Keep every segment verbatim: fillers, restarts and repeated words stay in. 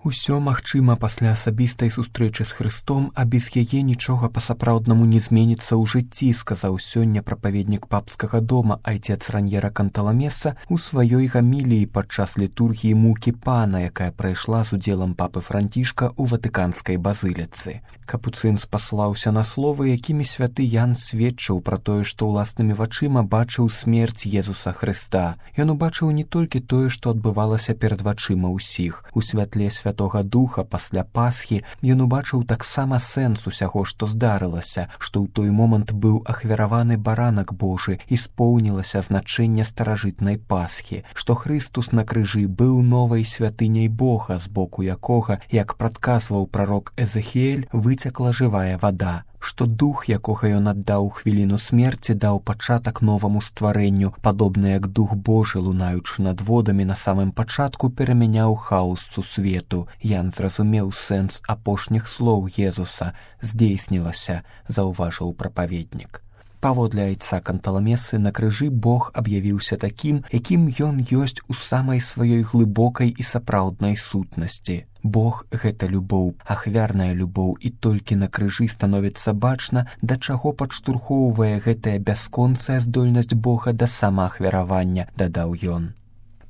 Усё магчыма пасля асабістай сустрэчы з Хрыстом, а без яе нічога па-сапраўднаму не зменіцца ў жыцці, сказаў сёння прапаведнік папскага дома айцец Раньера Канталамеса ў сваёй гаміліі падчас літургіі мукі пана, якая прайшла з удзелам папы Францішка ў ватыканскай базыліцы. Капуцын спаслаўся на словы, якімі святы Ян сведчыў пра тое, што ўласнымі вачыма бачыў смерць Езуса Хрыста. Ён убачыў не толькі тое, што адбывалася перад вачыма ўсіх. У святле Святога Духа пасля Пасхі ён убачыў таксама сэнс усяго, што здарылася, што ў той момант быў ахвяраваны баранак Божы і споўнілася значэнне старажытнай Пасхі, што Хрыстус на крыжы быў новай святыняй Бога, з боку якога, як прадказваў прарок Эзэхіэль, выцякла жывая вада, што дух, якога ён аддаў хвіліну смерці, даў пачатак новаму стварэнню, падобна як дух Божы, лунаючы над водамі на самым пачатку, перамяняў хаос сусвету. Ян зразумеў сэнс апошніх слоў Езуса. Здзейснілася, заўважыў прапаведнік. Паводле айца Канталамесы, на крыжы Бог аб'явіўся такім, якім ён ёсць у самай сваёй глыбокай і сапраўднай сутнасці. Бог — гэта любоў, ахвярная любоў, і толькі на крыжы становіцца бачна, да чаго падштурхоўвае гэтая бясконцая здольнасць Бога да самаахвяравання, дадаў ён.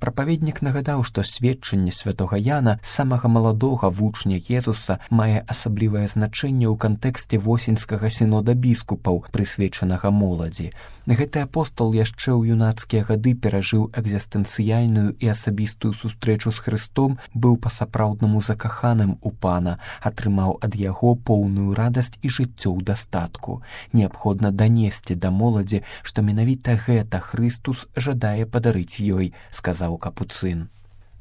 Прапаведнік нагадаў, што сведчанне святога Яна, самага маладога вучня Езуса, мае асаблівае значэнне ў кантэксце восеньскага сінода біскупаў, прысвечанага моладзі. Гэты апостол яшчэ ў юнацкія гады перажыў экзістэнцыяльную і асабістую сустрэчу з Хрыстом, быў па-сапраўднаму закаханым у пана, атрымаў ад яго поўную радасць і жыццё ў дастатку. Неабходна данесці да моладзі, што менавіта гэта Хрыстус жадае падарыць ёй, сказаў Капуцын.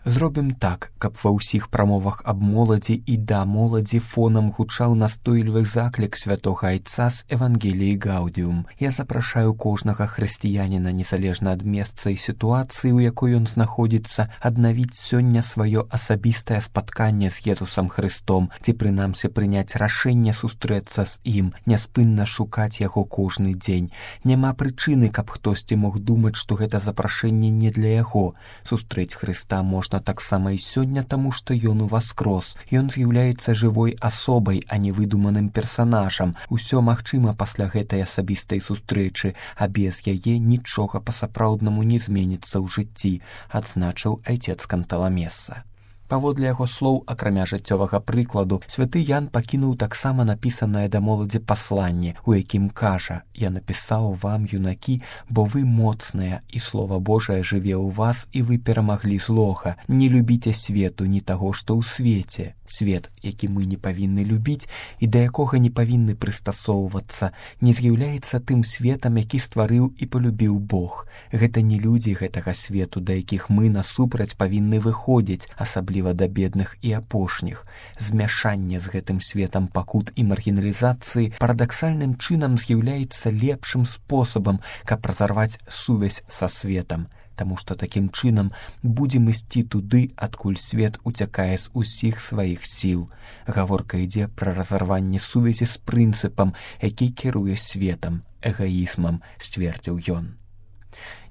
Зробім так, каб ва ўсіх прамовах аб моладзі і да моладзі фонам гучаў настойлівы заклік святога айца з Евангеліі Гаудіум. Я запрашаю кожнага хрысціяніна, незалежна ад месца і сітуацыі, у якой ён знаходзіцца, аднавіць сёння сваё асабістае спатканне з Езусам Хрыстом, ці прынамсі прыняць рашэнне сустрэцца з ім, няспынна шукаць яго кожны дзень. Няма прычыны, каб хтосьці мог думаць, што гэта запрашэнне не для яго. Сустрэць Хрыста можна таксама і сёння, таму што ён уваскрос. Ён з'яўляецца жывой асобай, а не выдуманым персанажам. Усё магчыма пасля гэтай асабістай сустрэчы, а без яе нічога па-сапраўднаму не зменіцца ў жыцці, адзначыў айцец Канталамеса. Паводле яго слоў, акрамя жыццёвага прыкладу, святы Ян пакінуў таксама напісанае да моладзі пасланне, у якім кажа: «Я напісаў вам, юнакі, бо вы моцныя, і Слова Божае жыве ў вас, і вы перамаглі злога. Не любіце свету, ні таго, што ў свеце». Свет, які мы не павінны любіць і да якога не павінны прыстасоўвацца, не з'яўляецца тым светам, які стварыў і палюбіў Бог. Гэта не людзі гэтага свету, да якіх мы насупраць павінны выходзіць, асабліва да бедных і апошніх. Змяшанне з гэтым светам пакут і маргіналізацыі парадаксальным чынам з'яўляецца лепшым спосабам, каб разарваць сувязь са светам, таму што такім чынам будзем ісці туды, адкуль свет уцякае з усіх сваіх сіл. Гаворка ідзе пра разарванне сувязі з прынцыпам, які кіруе светам, эгаізмам, сцвердзіў ён.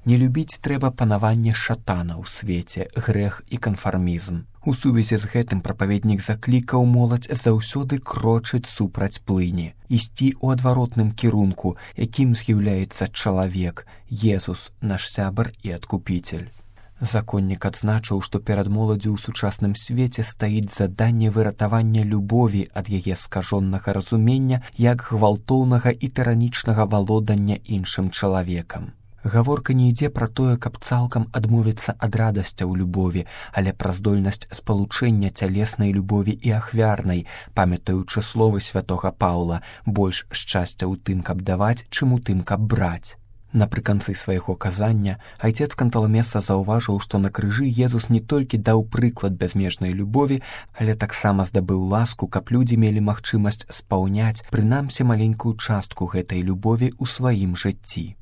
Не любіць трэба панаванне шатана ў свеце, грэх і канфармізм. У сувязі з гэтым прапаведнік заклікаў моладзь заўсёды крочыць супраць плыні, ісці ў адваротным кірунку, якім з'яўляецца чалавек, Езус, наш сябар і адкупіцель. Законнік адзначыў, што перад моладдзю ў сучасным свеце стаіць заданне выратавання любові ад яе скажонага разумення як гвалтоўнага і тыранічнага валодання іншым чалавекам. Гаворка не ідзе пра тое, каб цалкам адмовіцца ад радасцяў любові, але пра здольнасць спалучэння цялеснай любові і ахвярнай, памятаючы словы святога Паўла: «Больш шчасця ў тым, каб даваць, чым у тым, каб браць». Напрыканцы свайго казання айцец Канталамеса заўважыў, што на крыжы Езус не толькі даў прыклад бязмежнай любові, але таксама здабыў ласку, каб людзі мелі магчымасць спаўняць прынамсі маленькую частку гэтай любові ў сваім жыцці.